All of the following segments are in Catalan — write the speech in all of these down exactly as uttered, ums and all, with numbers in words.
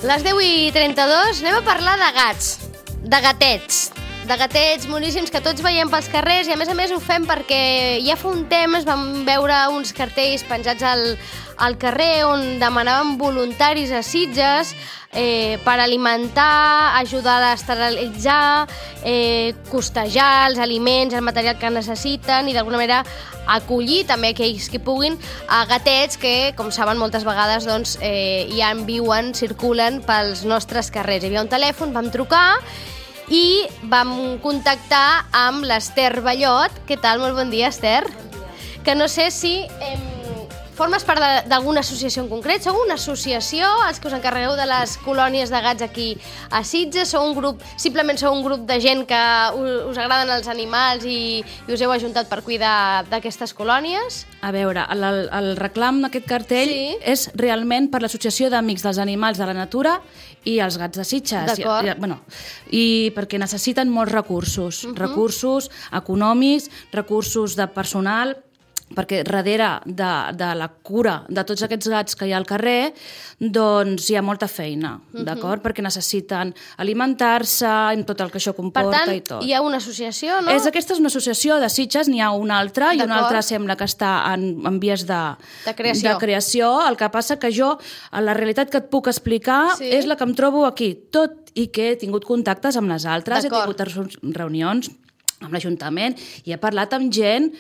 Les deu i trenta-dos, anem a parlar de gats, de gatets, de gatets moníssims que tots veiem pels carrers i a més a més ho fem perquè ja fa un temps vam veure uns cartells penjats al, al carrer on demanaven voluntaris a Sitges eh, per alimentar, ajudar a esterilitzar, eh, costejar els aliments, el material que necessiten i d'alguna manera acollir també aquells que puguin a gatets que, com saben, moltes vegades doncs, eh, ja en viuen, circulen pels nostres carrers. Hi havia un telèfon, vam trucar i vam contactar amb l'Ester Ballot. Què tal? Molt bon dia,Ester. Bon dia. Que no sé si eh, formes part d'alguna associació en concret. Sou una associació, els que us encarregueu de les colònies de gats aquí a Sitges? Sou un grup, simplement sou un grup de gent que us agraden els animals i, i us heu ajuntat per cuidar d'aquestes colònies? A veure, el, el reclam d'aquest cartell Sí. és realment per l'Associació d'Amics dels Animals de la Natura i els Gats de Sitges. D'acord. I, bueno, i perquè necessiten molts recursos, Uh-huh. recursos econòmics, recursos de personal, perquè darrere de, de la cura de tots aquests gats que hi ha al carrer doncs hi ha molta feina, Uh-huh. d'acord? Perquè necessiten alimentar-se, amb tot el que això Per comporta tant, i tot. hi ha una associació, no? És, aquesta és una associació de Sitges, n'hi ha una altra, i una D'acord. altra sembla que està en, en vies de, De creació. de creació. El que passa que jo, la realitat que et puc explicar Sí. és la que em trobo aquí, tot i que he tingut contactes amb les altres, he D'acord. tingut reunions amb l'Ajuntament i he parlat amb gent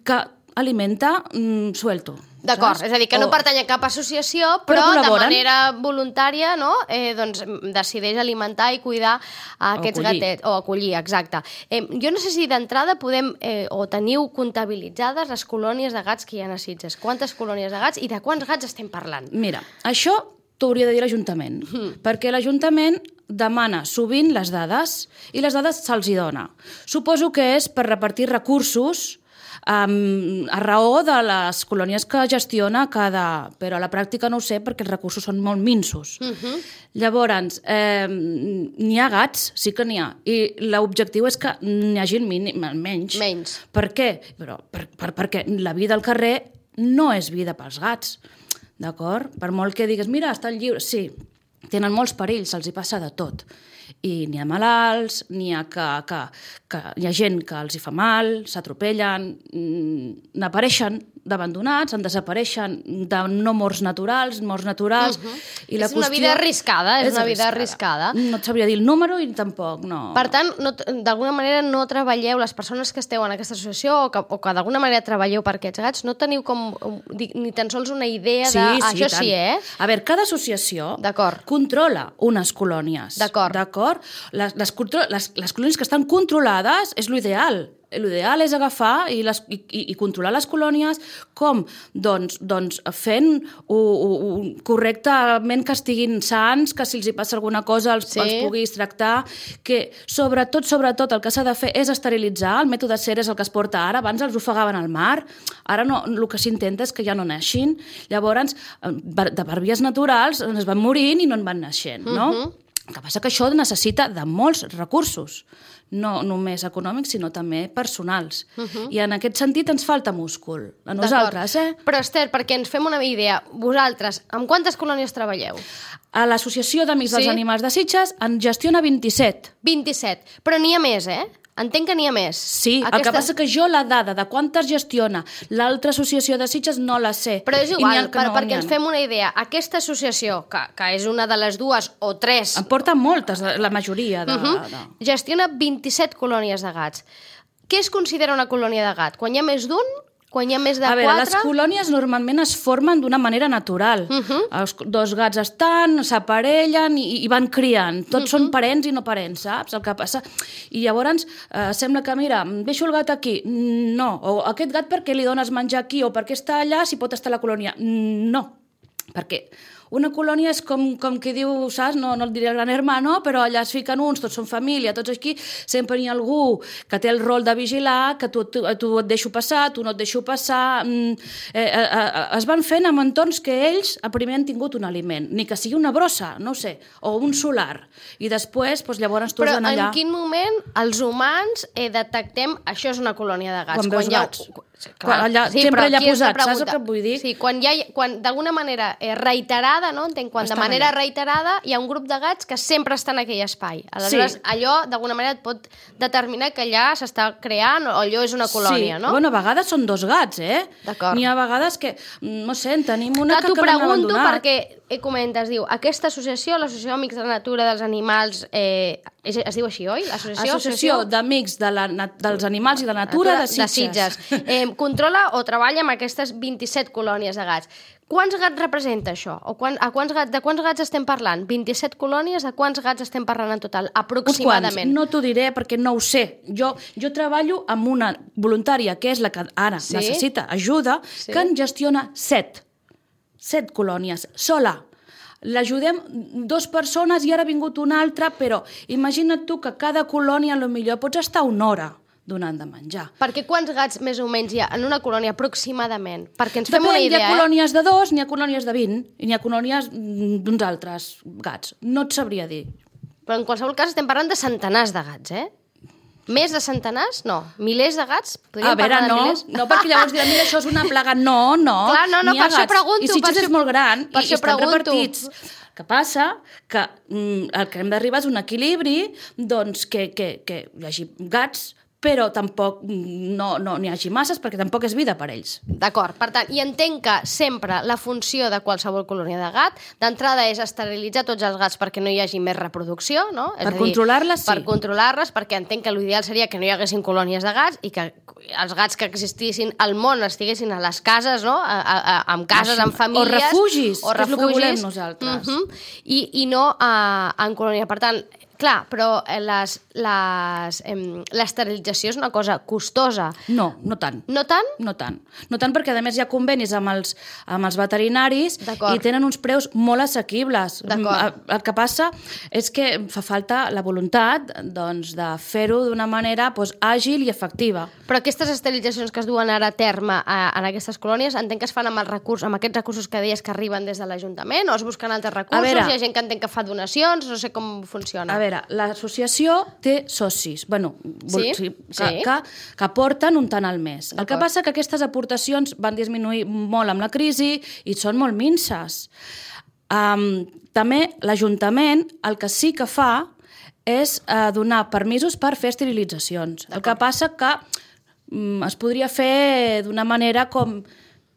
que alimenta mm, suelto. D'acord, saps? és a dir, que no O- pertany a cap associació, Però però, de col·laboren. manera voluntària, no?, eh, doncs, decideix alimentar i cuidar a aquests acollir. gatets, o acollir, exacte. Eh, jo no sé si d'entrada podem, eh, o teniu comptabilitzades les colònies de gats que hi ha a Sitges. Quantes colònies de gats i de quants gats estem parlant? Mira, això t'ho hauria de dir l'Ajuntament, mm. perquè l'Ajuntament demana sovint les dades i les dades se'ls hi dona. Suposo que és per repartir recursos um, a raó de les colònies que gestiona cada... Però a la pràctica no ho sé perquè els recursos són molt minsos. Uh -huh. Llavors, eh, n'hi ha gats, sí que n'hi ha, i l'objectiu és que n'hi hagi mínim, menys. Menys. Per què? Però per, per, perquè la vida al carrer no és vida pels gats. D'acord? Per molt que digues, mira, estan lliures, sí, tenen molts perills, se'ls hi passa de tot. I n'hi ha malalts, n'hi ha, que, que, que, hi ha gent que els hi fa mal, s'atropellen, n'apareixen d'abandonats, en desapareixen de no morts naturals, morts naturals... Uh-huh. I la És una qüestió vida arriscada, és, és una vida arriscada. No et sabria dir el número i tampoc, no... Per tant, no, d'alguna manera no treballeu, les persones que esteu en aquesta associació o que, o que d'alguna manera treballeu per aquests gats, no teniu com ni tan sols una idea Sí, de... sí, Això tant. sí, eh? A veure, cada associació D'acord. controla unes colònies. D'acord. D'acord? Les, les, contro- les, les colònies que estan controlades és l'ideal. L'ideal és agafar i, les, i, i controlar les colònies com? Doncs, doncs fent u, u, correctament que estiguin sans, que si els hi passa alguna cosa els, Sí. els puguis tractar, que sobretot, sobretot el que s'ha de fer és esterilitzar, el mètode SER és el que es porta ara, abans els ofegaven al mar, ara no, el que s'intenta és que ja no naixin, llavors de per vies naturals es van morint i no en van naixent, no? Uh-huh. El que passa que això necessita de molts recursos, no només econòmics, sinó també personals. Uh-huh. I en aquest sentit ens falta múscul, a nosaltres, eh? Però,Ester, perquè ens fem una idea, vosaltres, amb quantes colònies treballeu? A l'Associació d'Amics Sí? dels Animals de Sitges en gestiona vint-i-set. vint-i-set. Però n'hi ha més, eh? Entenc que n'hi ha més. Sí, Aquesta... el que passa que jo la dada de quantes gestiona l'altra associació de Sitges no la sé. Però és I n'hi igual, ha que per, no, perquè n'hi ha. ens fem una idea. Aquesta associació, que, que és una de les dues o tres, Em porta moltes, la majoria. De, uh-huh, de... gestiona vint-i-set colònies de gats. Què es considera una colònia de gat? Quan hi ha més d'un? Quan hi ha més de A veure, quatre? les colònies normalment es formen d'una manera natural. Uh-huh. Els dos gats estan, s'aparellen i, i van criant. Tots uh-huh. són parents i no parents, saps? El que passa... I llavors eh, sembla que, mira, deixo el gat aquí. No. O aquest gat per què li dones menjar aquí o per què està allà si pot estar a la colònia? No. Perquè una colònia és com, com qui diu, saps, no, no el diré el gran hermano, però allà es fiquen uns, tots són família, tots aquí, sempre hi ha algú que té el rol de vigilar, que tu, tu, tu et deixo passar, tu no et deixo passar... Mm, eh, eh, eh, es van fent en entorns que ells primer han tingut un aliment, ni que sigui una brossa, no sé, o un solar, i després, doncs, llavors tu Però vas allà... en quin moment els humans eh, detectem això és una colònia de gats? Quan veus hi ha... gats. Clar, allà, sí, sempre allà posat, pregunta, saps el que et vull dir? Sí, quan, hi ha, quan d'alguna manera eh, reiterada, no? Entenc, quan Estan de manera allà. reiterada hi ha un grup de gats que sempre està en aquell espai. Aleshores, Sí. allò d'alguna manera et pot determinar que allà s'està creant o allò és una colònia, sí. no? Bueno, a vegades són dos gats, eh? D'acord. N'hi ha vegades que, no sé, en tenim una Clar, que, t'ho que l'hem pregunto abandonat. perquè eh, comentes, diu, aquesta associació, l'Associació Amics de la Natura dels Animals, eh, es, es diu així, oi? L'associació Associació d'Amics de la, na- dels Animals i de la Natura, de Sitges. Eh, controla o treballa amb aquestes vint-i-set colònies de gats. Quants gats representa això? O quan, a quants gats, de quants gats estem parlant? vint-i-set colònies? De quants gats estem parlant en total? Uns quants, Aproximadament. no t'ho diré perquè no ho sé. Jo, jo treballo amb una voluntària que és la que ara Sí? necessita ajuda, Sí. que en gestiona set. Set colònies, sola. L'ajudem dues persones i ara ha vingut una altra, però imagina't tu que cada colònia potser pots estar una hora donant de menjar. Perquè quants gats més o menys hi ha en una colònia aproximadament? Perquè ens fem Depèn, una hi idea, ha eh? colònies de dos, n'hi ha colònies de vint, i n'hi ha colònies mm, d'uns altres gats. No et sabria dir. Però en qualsevol cas estem parlant de centenars de gats, eh? Més de centenars? No. Milers de gats? Podríem A veure, parlar de no, milers? no, perquè llavors diran, mira, això és una plaga. No, no. Clar, no, no, n'hi ha per això gats. pregunto, I Sitges per això- és molt gran per i, i això estan pregunto. repartits. Que passa que mm, el que hem d'arribar és un equilibri, doncs, que, que, que hi hagi gats, però tampoc mm, no no n'hi hagi masses, perquè tampoc és vida per ells. D'acord, per tant, i entenc que sempre la funció de qualsevol colònia de gat d'entrada és esterilitzar tots els gats perquè no hi hagi més reproducció, no? És Per a dir, controlar-les, sí. Per controlar-les, perquè entenc que l'ideal seria que no hi haguessin colònies de gats i que els gats que existissin al món estiguessin a les cases, no? A, a, a, amb cases, amb famílies. O refugis, o que és el que refugis, volem nosaltres. uh -huh, i, i no a, en colònia. Per tant, clar, però eh, les, les, em, l'esterilització és una cosa costosa. No, no tant. No tant? No tant. No tant perquè, a més, hi ha convenis amb els, amb els veterinaris D'acord. i tenen uns preus molt assequibles. D'acord. El, el que passa és que fa falta la voluntat doncs, de fer-ho d'una manera doncs, àgil i efectiva. Però aquestes esterilitzacions que es duen ara a terme a, en aquestes colònies, entenc que es fan amb, el recurs, amb aquests recursos que deies que arriben des de l'Ajuntament, o es busquen altres recursos? A veure, Hi ha gent que entenc que fa donacions, no sé com funciona. A veure, l'associació té socis, bueno, vol- Sí? que, Sí. que, que aporten un tant al mes. El que D'acord. passa que aquestes aportacions van disminuir molt amb la crisi i són molt minces. Um, també l'Ajuntament el que sí que fa és uh, donar permisos per fer esterilitzacions. El que passa que um, es podria fer d'una manera com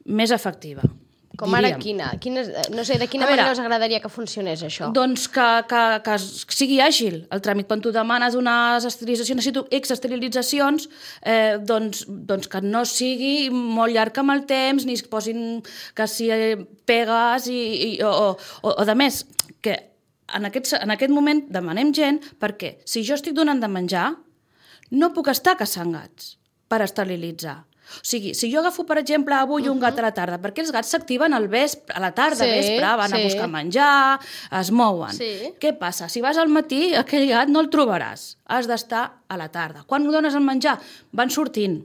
més efectiva. Com ara diríem. quina? quina? No sé, de quina A veure, manera us agradaria que funcionés això? Doncs que, que, que sigui àgil el tràmit. Quan tu demanes unes esterilitzacions, necessito X esterilitzacions, eh, doncs, doncs que no sigui molt llarg amb el temps, ni es posin que si pegues, i, i, o, o, o de més, que en aquest, en aquest moment demanem gent perquè si jo estic donant de menjar, no puc estar caçant gats per esterilitzar. O sigui, si jo agafo, per exemple, avui un gat a la tarda, perquè els gats s'activen al vespre, a la tarda, Sí, vespre, van a sí. buscar menjar, es mouen. Sí. Què passa? Si vas al matí, aquell gat no el trobaràs. Has d'estar a la tarda. Quan dones el menjar, van sortint.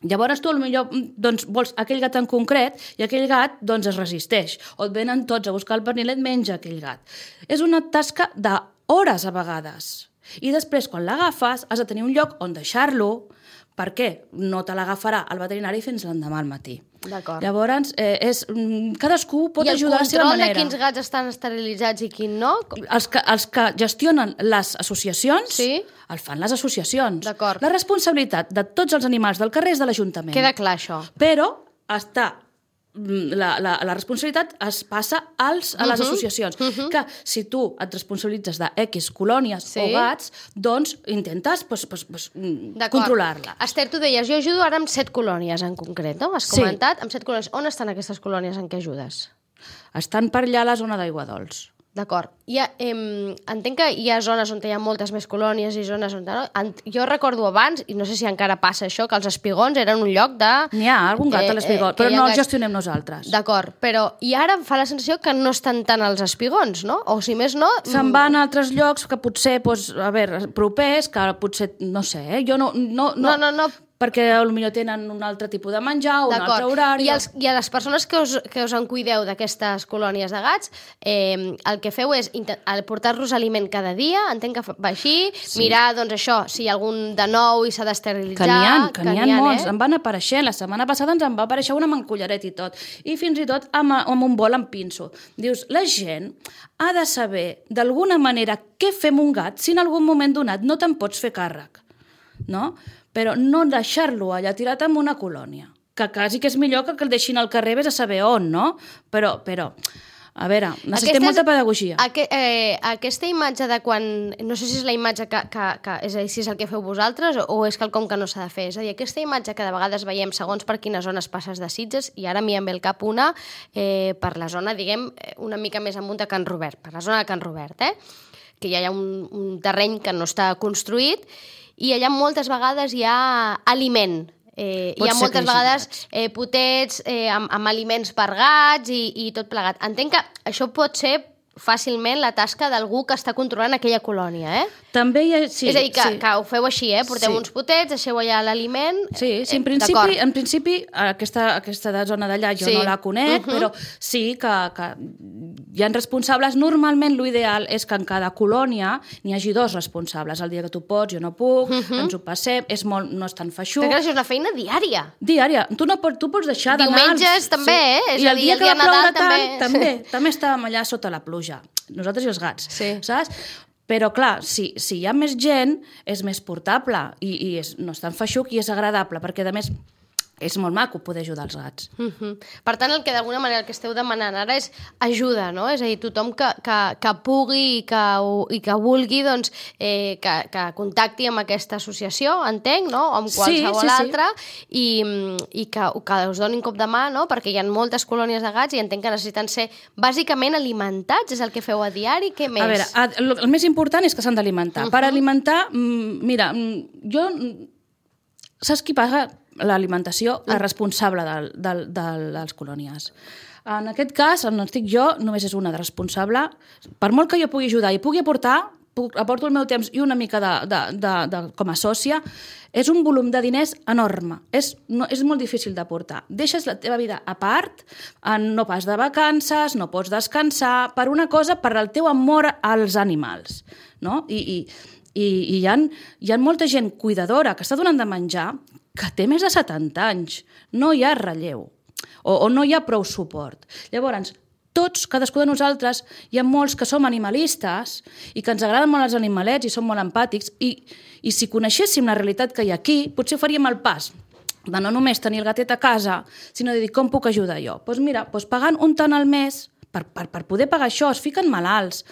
Llavors tu potser doncs, vols aquell gat en concret i aquell gat doncs, es resisteix. O et venen tots a buscar el pernil i et menja aquell gat. És una tasca d'hores a vegades. I després, quan l'agafes, has de tenir un lloc on deixar-lo, perquè no te l'agafarà el veterinari fins l'endemà al matí. D'acord. Llavors, eh, és, cadascú pot I el ajudar a la seva control de manera. quins gats estan esterilitzats i quin no? Els que, els que gestionen les associacions, Sí. el fan les associacions. D'acord. La responsabilitat de tots els animals del carrer és de l'Ajuntament. Queda clar, això. Però està la, la, la responsabilitat es passa als, a les Mhm, associacions. mhm. Que si tu et responsabilitzes de X colònies Sí. o gats, doncs intentes pues, pues, pues, D'acord. controlar-la. Esther, tu deies, jo ajudo ara amb set colònies en concret, no? Has Sí. comentat, amb set colònies. On estan aquestes colònies en què ajudes? Estan per allà a la zona d'aigua dolç. D'acord. Hi ha, em, entenc que hi ha zones on hi ha moltes més colònies i zones on... No? En, jo recordo abans, i no sé si encara passa això, que els espigons eren un lloc de... N'hi ha algun gat Eh, a l'espigó, eh, que però hi ha no el gats- gestionem nosaltres. D'acord, però i ara em fa la sensació que no estan tant els espigons, no? O si més no... Se'n van a altres llocs que potser, doncs, a veure, propers, que potser, no sé, eh? jo no... no, No, no, no. Per perquè potser tenen un altre tipus de menjar, un altre horari... I, els, I a les persones que us, que us en cuideu d'aquestes colònies de gats, eh, el que feu és portar-los aliment cada dia, entenc que va així, sí. mirar, doncs això, si hi ha algun de nou i s'ha d'esterilitzar... Que n'hi ha, que n'hi ha, ha molts, eh? Em van aparèixer, la setmana passada ens en va aparèixer una amb un collaret i tot, i fins i tot amb, amb un bol amb pinso. Dius, la gent ha de saber d'alguna manera què fem un gat si en algun moment donat no te'n pots fer càrrec, no? Però no deixar-lo allà tirat en una colònia, que quasi que és millor que el deixin al carrer, vés a saber on, no? Però, però a veure, necessitem aquesta, molta pedagogia. Aqu eh, aquesta imatge de quan... No sé si és la imatge que... que, que és a dir, si és el que feu vosaltres o, o és quelcom que no s'ha de fer. És a dir, aquesta imatge que de vegades veiem segons per quines zones passes de Sitges, i ara m'hi em ve el cap una eh, per la zona, diguem, una mica més amunt de Can Robert, per la zona de Can Robert, eh? Que ja hi ha un, un terreny que no està construït i allà moltes vegades hi ha aliment. Eh, hi ha moltes vegades eh, potets eh, amb, amb aliments per gats i, i tot plegat. Entenc que això pot ser fàcilment la tasca d'algú que està controlant aquella colònia, eh? També hi ha... Sí, és a dir, que, sí. que ho feu així, eh? Porteu sí. uns potets, deixeu allà l'aliment... Sí, sí, en principi, en principi aquesta, aquesta zona d'allà jo sí. no la conec, uh -huh. però sí que, que hi ha responsables. Normalment l'ideal és que en cada colònia n'hi hagi dos responsables. El dia que tu pots, jo no puc, uh -huh. ens ho passem, és molt, no és tan feixuc. Perquè això és una feina diària. Diària. Tu, no pots, tu pots deixar d'anar... Diumenges també, sí. eh? És I el dia, dia, el dia que que va ploure Nadal també. tant, també, també estàvem allà sota la pluja. Nosaltres i els gats, sí. saps? Però, clar, si, si hi ha més gent, és més portable i, i és, no és tan feixuc i és agradable, perquè, a més, és molt maco poder ajudar els gats. Uh -huh. Per tant, el que d'alguna manera el que esteu demanant ara és ajuda, no? És a dir, tothom que, que, que pugui i que, i que vulgui, doncs, eh, que, que contacti amb aquesta associació, entenc, no? O amb qualsevol sí, sí, altra, sí. i, i que, que us donin cop de mà, no? Perquè hi ha moltes colònies de gats i entenc que necessiten ser bàsicament alimentats, és el que feu a diari, què més? A veure, el, el més important és que s'han d'alimentar. Uh -huh. Per alimentar, mira, jo... Saps qui paga l'alimentació? La responsable de, de, de les colònies. En aquest cas, on estic jo, només és una de responsable. Per molt que jo pugui ajudar i pugui aportar, puc, aporto el meu temps i una mica de, de, de, de, com a sòcia, és un volum de diners enorme. És, no, és molt difícil d'aportar. Deixes la teva vida a part, no pas de vacances, no pots descansar, per una cosa, per el teu amor als animals. No? I... i I hi ha, hi ha molta gent cuidadora que està donant de menjar que té més de setanta anys. No hi ha relleu o, o no hi ha prou suport. Llavors, tots, cadascú de nosaltres, hi ha molts que som animalistes i que ens agraden molt els animalets i som molt empàtics i, i si coneixéssim la realitat que hi ha aquí, potser faríem el pas de no només tenir el gatet a casa, sinó de dir com puc ajudar jo. Doncs mira, doncs pagant un tant al mes, per, per, per poder pagar això, es fiquen malalts.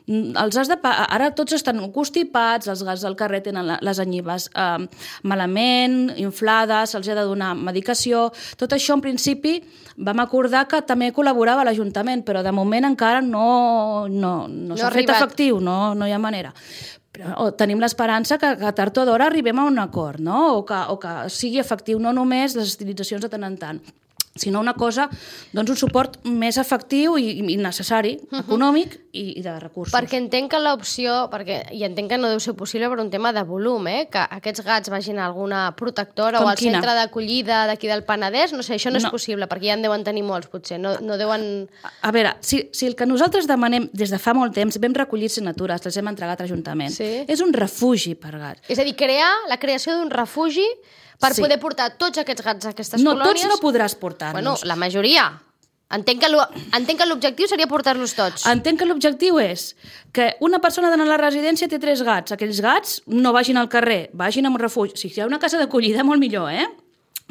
Els has de pagar. Ara tots estan constipats, els gats del carrer tenen les anyibes eh, malament, inflades, se'ls ha de donar medicació. Tot això, en principi, vam acordar que també col·laborava l'Ajuntament, però de moment encara no, no, no, no s'ha fet efectiu, no, no hi ha manera. Però tenim l'esperança que, que tard o d'hora arribem a un acord, no? o, que, o que sigui efectiu no només les estilitzacions de tant en tant, sinó una cosa, doncs un suport més efectiu i, i necessari, uh-huh. econòmic i, i de recursos. Perquè entenc que l'opció, perquè i entenc que no deu ser possible per un tema de volum, eh? Que aquests gats vagin a alguna protectora Com o al quina? centre d'acollida d'aquí del Penedès, no sé, això no, no és possible, perquè ja en deuen tenir molts, potser, no, no deuen... A veure, si, si el que nosaltres demanem des de fa molt temps, vam recollir signatures, les hem entregat a l'Ajuntament, sí? És un refugi per gats. És a dir, crear la creació d'un refugi per sí. poder portar tots aquests gats a aquestes no, colònies... No, tots no podràs portar-los. Bueno, la majoria. Entenc que l'objectiu seria portar-los tots. Entenc que l'objectiu és que una persona d'anar a la residència té tres gats. Aquells gats no vagin al carrer, vagin a un refugi. Si hi ha una casa d'acollida, molt millor, eh?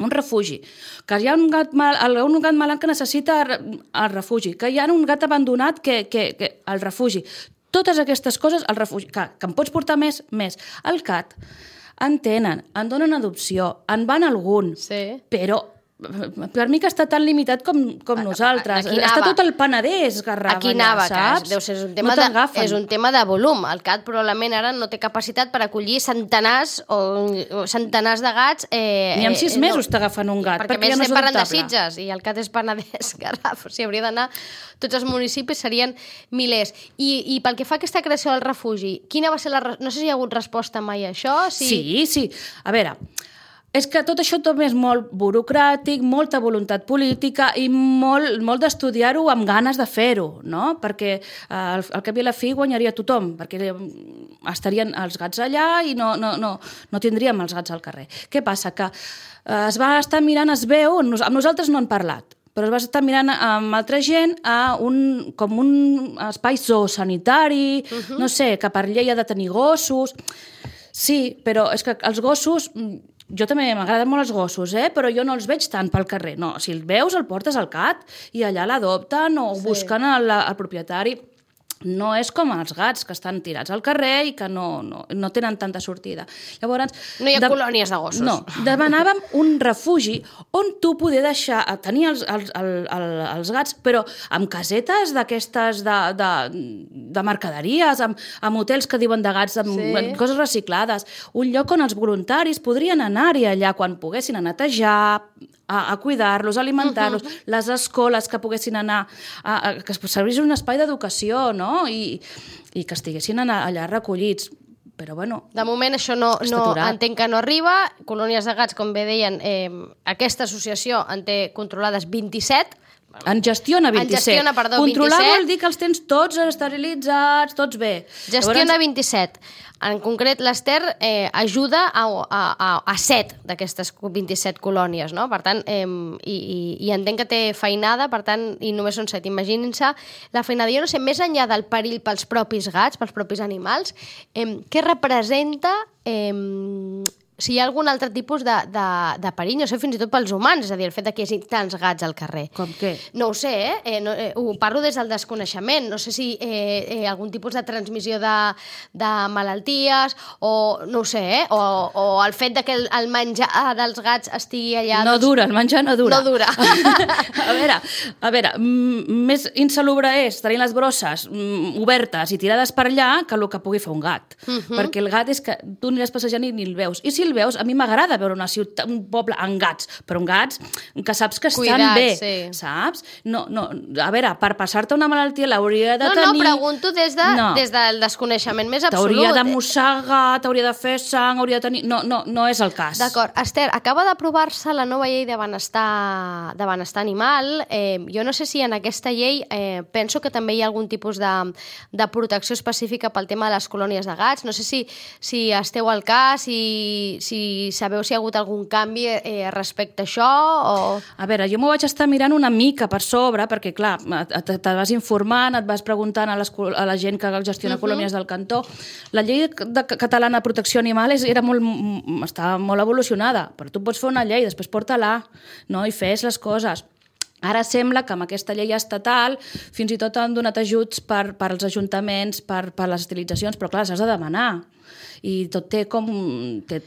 Un refugi. Que hi ha un gat, mal, un gat malalt que necessita el refugi. Que hi ha un gat abandonat que, que, que el refugi. Totes aquestes coses, el refugi. Que, que en pots portar més, més. El cat... en tenen, en donen adopció, en van algun, sí. però per mi que està tan limitat com, com nosaltres. Està tot el Penedès garraf aquí allà, anava, saps? Deu ser, és, un tema no de, és un tema de volum. El cat probablement ara no té capacitat per acollir centenars o, o centenars de gats. Eh, Ni en sis eh, mesos no, t'agafen un gat, perquè, perquè ja no és parlen de adoptable. Sitges i el cat és Penedès, garraf. O sigui, hauria d'anar... Tots els municipis serien milers. I, i pel que fa a aquesta creació del refugi, quina va ser la... No sé si hi ha hagut resposta mai a això. Si... Sí, sí. A veure... és que tot això també és molt burocràtic, molta voluntat política i molt, molt d'estudiar-ho amb ganes de fer-ho, no? Perquè eh, al, al cap i a la fi guanyaria tothom, perquè estarien els gats allà i no, no, no, no tindríem els gats al carrer. Què passa? Que eh, es va estar mirant, es veu, amb nosaltres no han parlat, però es va estar mirant amb altra gent a un, com un espai zoosanitari, uh-huh. no sé, que per llei ha de tenir gossos. Sí, però és que els gossos, jo també m'agraden molt els gossos, eh? Però jo no els veig tant pel carrer. No, si el veus el portes al C A T i allà l'adopten o sí. busquen el, el propietari. No és com els gats, que estan tirats al carrer i que no, no, no tenen tanta sortida. Llavors, no hi ha de... colònies de gossos. No, demanàvem un refugi on tu poder deixar, tenir els, els, els, els gats, però amb casetes d'aquestes de, de, de mercaderies, amb, amb hotels que diuen de gats, amb sí. coses reciclades. Un lloc on els voluntaris podrien anar-hi allà quan poguessin a netejar, a, a cuidar-los, a alimentar-los, uh-huh. les escoles que poguessin anar, a, a, que servís un espai d'educació, no? I, i que estiguessin allà recollits. Però, bueno... De moment això no, no entenc que no arriba. Colònies de gats, com bé deien, eh, aquesta associació en té controlades vint-i-set. En gestiona vint-i-set. En gestiona, perdó, Controlar vint-i-set. Vol dir que els tens tots esterilitzats, tots bé. Gestiona Llavors... vint-i-set. En concret, l'Ester eh, ajuda a, a, a, a set d'aquestes vint-i-set colònies, no? Per tant, eh, i, i, i entenc que té feinada, per tant, i només són set. Imaginin-se la feinada. Jo no sé, més enllà del perill pels propis gats, pels propis animals, eh, què representa... Eh, si hi ha algun altre tipus de, de, de perill, no sé, fins i tot pels humans, és a dir, el fet que hi hagi tants gats al carrer. Com què? No ho sé, eh? eh, no, eh ho parlo des del desconeixement. No sé si eh, eh, algun tipus de transmissió de, de malalties, o no ho sé, eh? o, o el fet de que el, el menjar dels gats estigui allà... No doncs... dura, el menjar no dura. No dura. a veure, a veure, més insalubre és tenir les brosses obertes i tirades per allà que el que pugui fer un gat. Uh -huh. Perquè el gat és que tu aniràs passejant i ni el veus. I si el veus, a mi m'agrada veure una ciutat, un poble amb gats, però amb gats que saps que estan Cuidats, bé, sí. saps? No, no, a veure, per passar-te una malaltia l'hauria de no, tenir... No, no, pregunto des, de, no. des del desconeixement més absolut. T'hauria de mossegar, t'hauria de fer sang, hauria de tenir... No, no, no és el cas. D'acord. Esther, acaba d'aprovar-se la nova llei de benestar, de benestar animal. Eh, jo no sé si en aquesta llei eh, penso que també hi ha algun tipus de, de protecció específica pel tema de les colònies de gats. No sé si, si esteu al cas, si si sabeu si hi ha hagut algun canvi eh, respecte a això o... A veure, jo m'ho vaig estar mirant una mica per sobre, perquè, clar, te, te vas informant, et vas preguntant a, les, a la gent que gestiona uh-huh. colònies del cantó. La llei de, de, catalana de protecció animal era molt, estava molt evolucionada, però tu pots fer una llei, després porta-la, no? I fes les coses. Ara sembla que amb aquesta llei estatal fins i tot han donat ajuts per, per als ajuntaments, per, per les estilitzacions, però clar, s'has de demanar. I tot té com...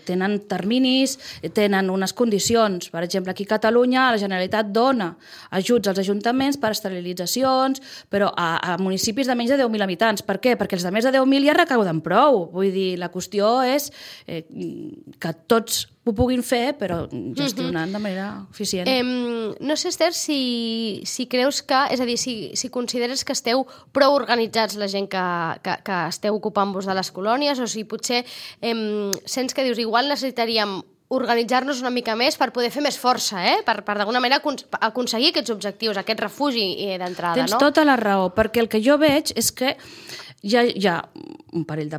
tenen terminis, tenen unes condicions. Per exemple, aquí a Catalunya la Generalitat dona ajuts als ajuntaments per esterilitzacions, però a, a municipis de menys de deu mil habitants. Per què? Perquè els de més de deu mil ja recauden prou. Vull dir, la qüestió és eh, que tots ho puguin fer, però gestionant de manera eficient. Eh, no sé, Esther, si, si creus que... És a dir, si, si consideres que esteu prou organitzats la gent que, que, que esteu ocupant-vos de les colònies, o si potser eh, sents que dius, igual necessitaríem organitzar-nos una mica més per poder fer més força, eh? per, per d'alguna manera aconseguir aquests objectius, aquest refugi d'entrada. Tens no? tota la raó, perquè el que jo veig és que hi ha, hi ha un parell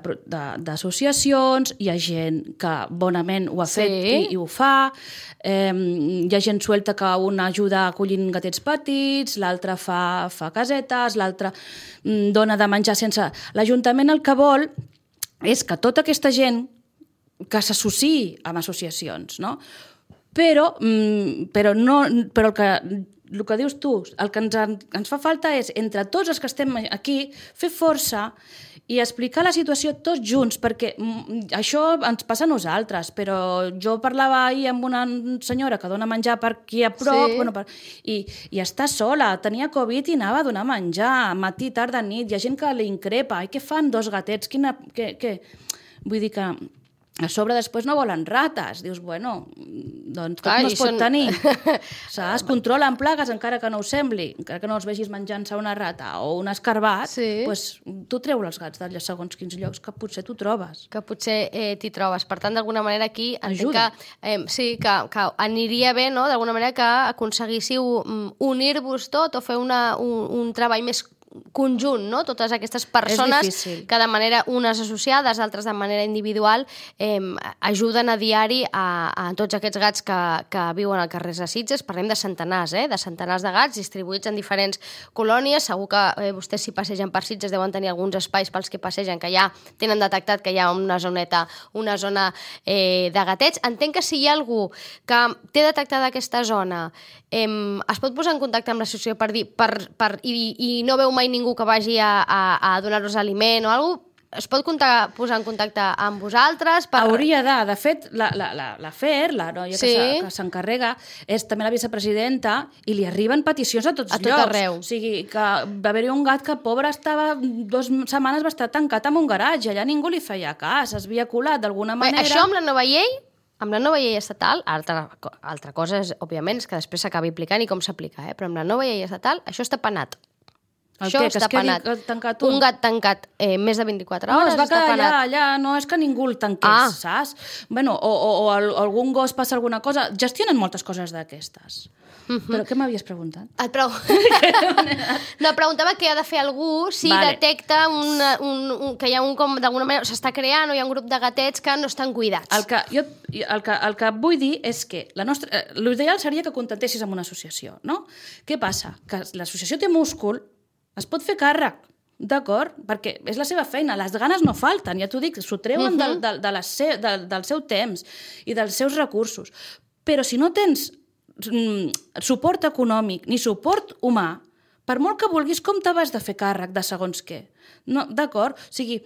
d'associacions, hi ha gent que bonament ho ha fet sí. i, i ho fa, eh, hi ha gent suelta que una ajuda acollint gatets petits, l'altra fa, fa casetes, l'altra dona de menjar sense... L'Ajuntament el que vol és que tota aquesta gent que s'associï amb associacions, no? Però, però, no, però el que... el que dius tu, el que ens, ens fa falta és, entre tots els que estem aquí, fer força i explicar la situació tots junts, perquè això ens passa a nosaltres, però jo parlava ahir amb una senyora que dona menjar per aquí a prop, sí. bueno, per, i, i està sola, tenia Covid i anava a donar menjar, matí, tarda, nit, hi ha gent que li increpa, i què fan dos gatets? Quina, què, què? Vull dir que A sobre després no volen rates. Dius, bueno, doncs tot Clar, no i es pot són- tenir. Saps? Controlen plagues encara que no ho sembli, encara que no els vegis menjant-se una rata o un escarbat, Sí. doncs tu treu els gats d'allà segons quins llocs que potser tu trobes. Que potser eh, t'hi trobes. Per tant, d'alguna manera aquí entenc que, Ajuda. eh, sí, que, que aniria bé, no?, d'alguna manera que aconseguíssiu mm, unir-vos tot o fer una, un, un treball més conjunt, no? Totes aquestes persones difícil. que de manera, unes associades, altres de manera individual, eh, ajuden a diari a, a tots aquests gats que, que viuen al carrer de Sitges. Parlem de centenars, eh? De centenars de gats distribuïts en diferents colònies. Segur que eh, vostès, si passegen per Sitges, deuen tenir alguns espais pels que passegen que ja tenen detectat que hi ha una zoneta, una zona eh, de gatets. Entenc que si hi ha algú que té detectada aquesta zona, eh, es pot posar en contacte amb l'associació per dir, per, per, i, i no veu mai ningú que vagi a, a, a donar-los aliment o alguna cosa, es pot comptar, posar en contacte amb vosaltres? Per... Hauria de. De fet, la, la, la, la Fer, la noia Sí. que se- que s'encarrega, és també la vicepresidenta i li arriben peticions a tots A tot llocs. arreu. O sigui, que va haver-hi un gat que, pobre, estava dues setmanes va estar tancat en un garatge, allà ningú li feia cas, es havia colat d'alguna Bé, manera. això amb la nova llei, amb la nova llei estatal, altra, altra cosa és, òbviament, és que després s'acabi aplicant i com s'aplica, eh? Però amb la nova llei estatal això està penat. El Això què? Que està es quedi penat. tancat un? Un gat tancat eh, més de vint-i-quatre No, hores es va està quedar allà, penat. allà, no és que ningú el tanqués, Ah. saps? Bueno, o, o, o al- algun gos passa alguna cosa, gestionen moltes coses d'aquestes. Però què m'havies preguntat? Et pregu... no, preguntava què ha de fer algú si Vale. detecta una, un, un, que hi ha un com d'alguna manera s'està creant o hi ha un grup de gatets que no estan cuidats. El que, jo, el, que, el que vull dir és que la nostra, eh, l'ideal seria que contactessis amb una associació, no? Què passa? Que l'associació té múscul, es pot fer càrrec, d'acord? Perquè és la seva feina, les ganes no falten, ja t'ho dic, s'ho treuen del, del, de les se, del, del seu temps i dels seus recursos. Però si no tens mm, suport econòmic ni suport humà, per molt que vulguis, com te vas de fer càrrec de segons què? No, d'acord? O sigui,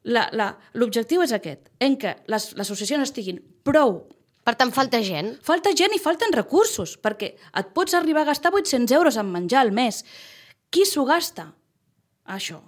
la- la- l'objectiu és aquest, en què les, les associacions estiguin prou. Per tant, falta gent. Falta gent i falten recursos, perquè et pots arribar a gastar vuit-cents euros en menjar al mes. Qui s'ho gasta? Això.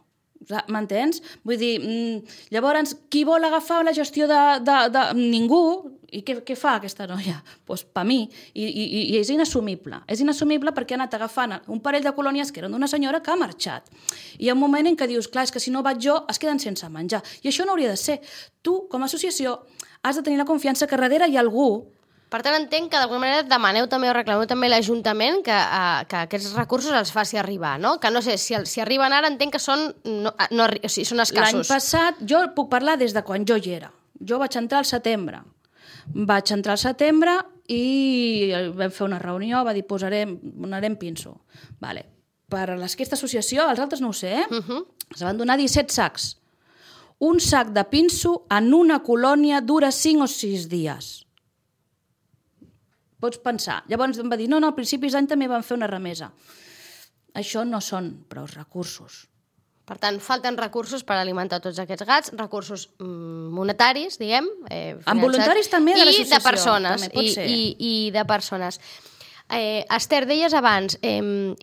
M'entens? Vull dir, mm, llavors, qui vol agafar la gestió de... de, de ningú. I què, què fa aquesta noia? Doncs pues, per mi. I, i, I és inassumible. És inassumible perquè ha anat agafant un parell de colònies que eren d'una senyora que ha marxat. I hi ha un moment en què dius, clar, és que si no vaig jo, es queden sense menjar. I això no hauria de ser. Tu, com a associació, has de tenir la confiança que darrere hi ha algú. Per tant, entenc que d'alguna manera demaneu també o reclameu també a l'Ajuntament que, uh, que aquests recursos els faci arribar, no? Que no sé, si, el, si arriben ara entenc que són, no, no, o sigui, són L'any escassos. passat, jo puc parlar des de quan jo hi era. Jo vaig entrar al setembre. Vaig entrar al setembre i vam fer una reunió, va dir, posarem, donarem pinso. Vale. Per aquesta associació, els altres no ho sé, eh? Uh -huh. Es van donar disset sacs. Un sac de pinso en una colònia dura cinc o sis dies. Pots pensar. Llavors em va dir, no, no, a principis d'any també van fer una remesa. Això no són prou recursos. Per tant, falten recursos per alimentar tots aquests gats, recursos mm, monetaris, diguem. Eh, Amb voluntaris també de I l'associació, de persones. també pot i, ser. I, I de persones. Eh, Esther, deies abans, eh,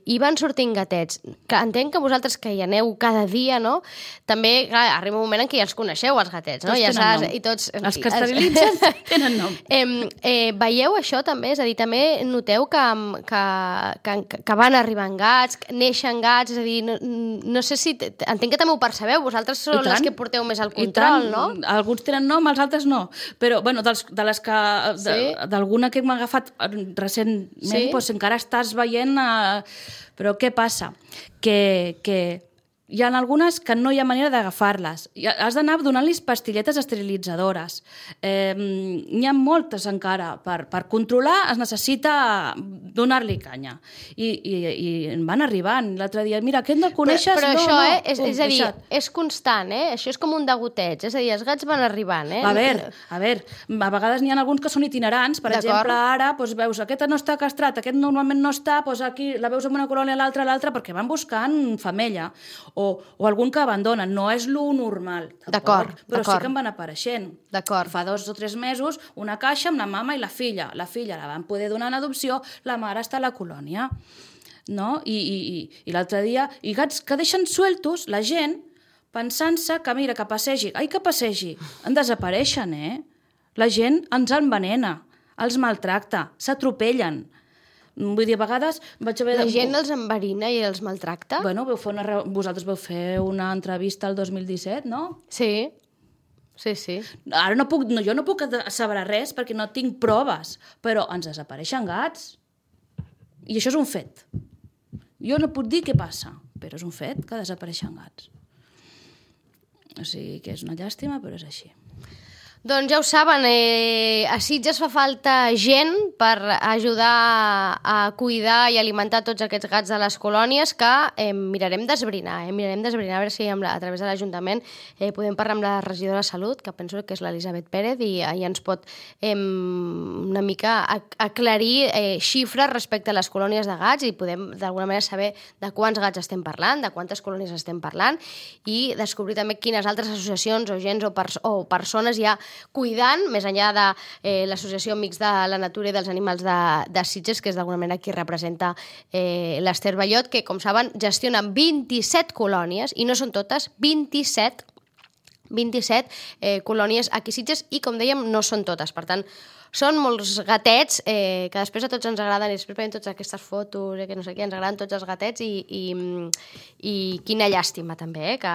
hi van sortint gatets, que entenc que vosaltres que hi aneu cada dia, no? També, clar, arriba un moment en què ja els coneixeu, els gatets, no? Tots ja tenen saps, nom. i tots... Els que esterilitzen tenen nom. Eh, eh, veieu això també? És a dir, també noteu que, que, que, que van arribant gats, que neixen gats, és a dir, no, no sé si... Entenc que també ho percebeu, vosaltres I sou les tant. que porteu més el I control, tant. no? Alguns tenen nom, els altres no. Però, bueno, dels, de les que... de- Sí. D'alguna que m'ha agafat recentment, Sí. doncs encara estàs veient... Eh, però què passa? Que, que hi ha algunes que no hi ha manera d'agafar-les. I has d'anar donant-los pastilletes esterilitzadores. Eh, N'hi ha moltes encara. Per, per controlar es necessita donar-li canya. I, i, i en van arribant. L'altre dia, mira, aquest no el coneixes? Però, però no, això, no. eh, és, Pum, és a dir, deixat. és constant, eh? Això és com un degoteig, és a dir, els gats van arribant, eh? A veure, a veure, a vegades n'hi ha alguns que són itinerants, per D'acord. exemple, ara doncs veus, aquest no està castrat, aquest normalment no està, doncs aquí la veus en una colònia, l'altra, l'altra, perquè van buscant femella, o, o algun que abandonen, no és lo normal, D'acord, però d'acord. sí que en van apareixent. D'acord. Fa dos o tres mesos, una caixa amb la mama i la filla. La filla la van poder donar en adopció, la mare està a la colònia. No? I, i, i, i l'altre dia, i gats que deixen sueltos, la gent, pensant-se que, mira, que passegi, ai, que passegi, en desapareixen, eh? La gent ens envenena, els maltracta, s'atropellen. Vull dir, a vegades vaig haver... La gent els enverina i els maltracta? Bueno, veu fer una... vosaltres vau fer una entrevista el dos mil disset, no? Sí, sí, sí. Ara no puc, no, jo no puc asseverar res perquè no tinc proves, però ens desapareixen gats. I això és un fet. Jo no puc dir què passa, però és un fet que desapareixen gats. O sigui que és una llàstima, però és així. Doncs ja ho saben, eh, a Sitges fa falta gent per ajudar a cuidar i alimentar tots aquests gats de les colònies que eh, mirarem d'esbrinar, eh, mirarem d'esbrinar a veure si amb la, a través de l'Ajuntament eh, podem parlar amb la regidora de Salut, que penso que és l'Elisabet Pérez, i ja ens pot eh, una mica aclarir eh, xifres respecte a les colònies de gats i podem d'alguna manera saber de quants gats estem parlant, de quantes colònies estem parlant i descobrir també quines altres associacions o gens o, pers o persones hi ha cuidant, més enllà de eh, l'Associació Amics de la Natura i dels Animals de, de Sitges, que és d'alguna manera qui representa eh, l'Ester Ballot, que, com saben, gestiona vint-i-set colònies, i no són totes, vint-i-set, vint-i-set eh, colònies aquí a Sitges, i, com dèiem, no són totes. Per tant, són molts gatets eh, que després a tots ens agraden i després veiem totes aquestes fotos eh, que no sé què, ens agraden tots els gatets i, i, i quina llàstima també eh, que,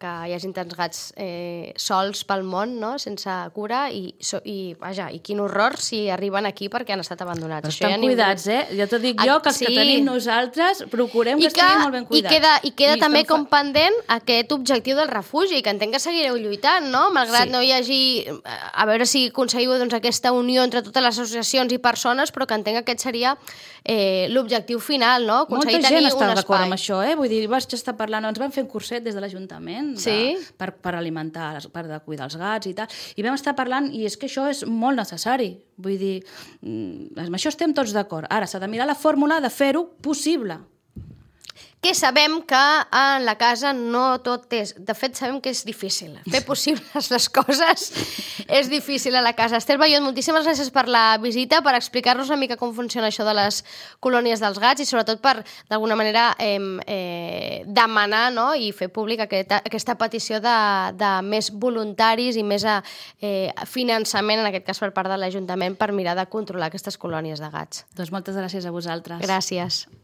que hi hagi tants gats eh, sols pel món, no? Sense cura i, so, i, vaja, i quin horror si arriben aquí perquè han estat abandonats. Però estan ningú... cuidats, eh? Jo t'ho dic jo, que els sí. que tenim nosaltres procurem que, que estiguin molt ben cuidats. I queda, i queda I també com fa... pendent aquest objectiu del refugi, que entenc que seguireu lluitant, no? Malgrat sí. no hi hagi... A veure si aconseguiu doncs, aquesta unió entre totes les associacions i persones, però que entenc que aquest seria eh, l'objectiu final, no? Aconseguir Molta gent tenir està un d'acord espai. amb això, eh? Vull dir, vas estar parlant, ens van fer un curset des de l'Ajuntament sí? per, per alimentar, per de cuidar els gats i tal, i vam estar parlant, i és que això és molt necessari. Vull dir, amb això estem tots d'acord. Ara s'ha de mirar la fórmula de fer-ho possible. Que sabem que en la casa no tot és... De fet, sabem que és difícil. Fer possibles les coses és difícil a la casa. Estel Ballot, moltíssimes gràcies per la visita, per explicar-nos una mica com funciona això de les colònies dels gats i sobretot per, d'alguna manera, eh, eh, demanar no? i fer públic aquesta, aquesta petició de, de més voluntaris i més eh, finançament, en aquest cas per part de l'Ajuntament, per mirar de controlar aquestes colònies de gats. Doncs moltes gràcies a vosaltres. Gràcies.